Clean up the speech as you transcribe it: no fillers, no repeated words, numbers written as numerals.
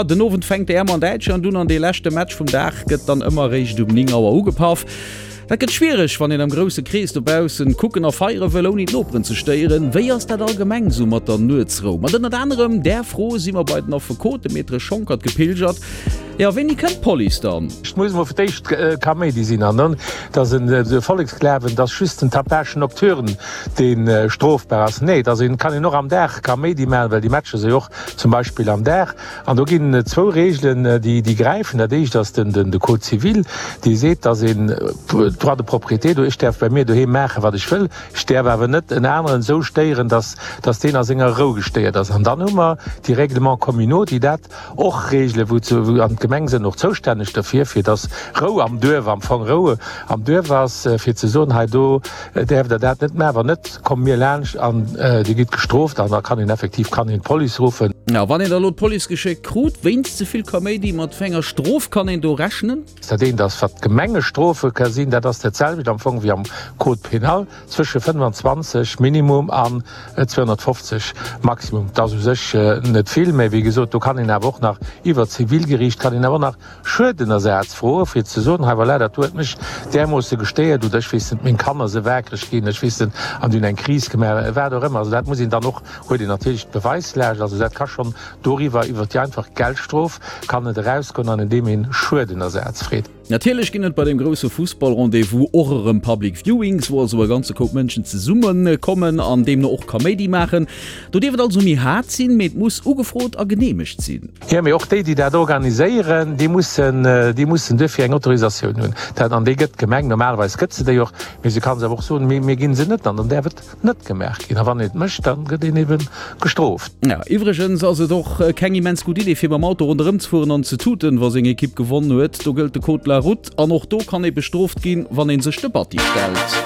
Den Owend fänkt d'EM an Däitschland un an dee leschte Match vum Dag gëtt dann ëmmer eréischt um 9 Auer ugepaff. Dat gëtt schwiereg, wann een am grousse Krees dobaussen kucken a feiere wëll, ouni d'Noperen ze stéieren. Wéi ass dat allgemeng sou mat der Nuetsrou? Mat ënnert anerem där Fro si mer bei den Affekot, de Maître Schonckert, gepilgert. Jo, wéini kënnt d'Police dann? Et muss emol fir d'éischt Kaméidi sinn an dann, dass en de Volleksglawen, dass just den Tapage nocturne dee strofbar ass. Nee, dass een, kann een och am Dag Kaméidi maachen, well déi Matcher si jo och zum Beispill am Dag. An do ginn et zwou Regeln, déi déi gräifen. Dat éischt ass den de Code civil, dee seet, dass een Droit de propriété do, ech däerf bei mir doheem maachen, wat ech wëll, ech däerf awer net en aneren esou stéieren, dass dass deen a senger Rou gestéiert ass. An dann hu mer déi Règlements communaux, déi dat och regelen, wou ze an d'Gemeng sënn och zoustänneg derfir, fir dass Rou am Duerf, am Fong Rou am Duerf ass, fir ze soen, hei do däerft Der dat net maachen, wann net, komme mir laanscht an Dir gitt gestrooft an da kann een effektiv kann een d'Police ruffen. A wann een da lo d'Police geschéckt krut wéinst ze vill Kaméidi, mat wéi enger Strof kann een do rechnen? Dat eent ass, wat d'Gemengestrofe ka sinn, dat ass dat selwecht am Fong wéi am Code pénal, zwësche 25 Minimum an 250 Maximum. Dat ass u sech net vill, mä wéi gesot, do kann een awer och nach iwwert d'Zivilgeriicht kann een awer och nach Schuedenersaz froen, fir ze soen, hei voilà, dat do huet mech därmoosse gestéiert oder ech weess net, meng Kanner se waakreg ginn, ech weess net, an déi hunn eng Kris gemaach, wat och ëmmer. Also dat muss een dann och, huet een natierlech d'Beweislaascht, also dat ka schonn doriwwer, iwwert déi einfach Geldstrof kann et erausgoen an indeem een Schuedenersaz freet. Natierlech ginn et bei deem grousse Fussball-Rendez-vous och erëm Public Viewings, wou also e ganze Koup Mënschen zesumme kommen an deemno och Kaméidi maachen. Do dierf et also méi haart sinn, mee et muss ugefrot a geneemegt sinn. Jo, mee och déi, déi dat organiséieren, déi mussen, déi mussen duerfir eng Autorisatioun hunn. Dat, an déi gëtt d'Gemeng, normalerweis gëtt se déi och, mee se ka se awer och soen, mir, mir ginn se net an dann däerf et net gemaach ginn. A wann een et mécht, da gëtt een ebe gestrooft. Jo, iwwregens ass et och keng immens gutt Idee, fir mam Auto ronderëm ze fueren an ze tuten, wa seng Ekipp gewonnen huet. Do gëllt de Code de la Route an och do kann ee bestrooft ginn, wann ee sech de Batti stellt.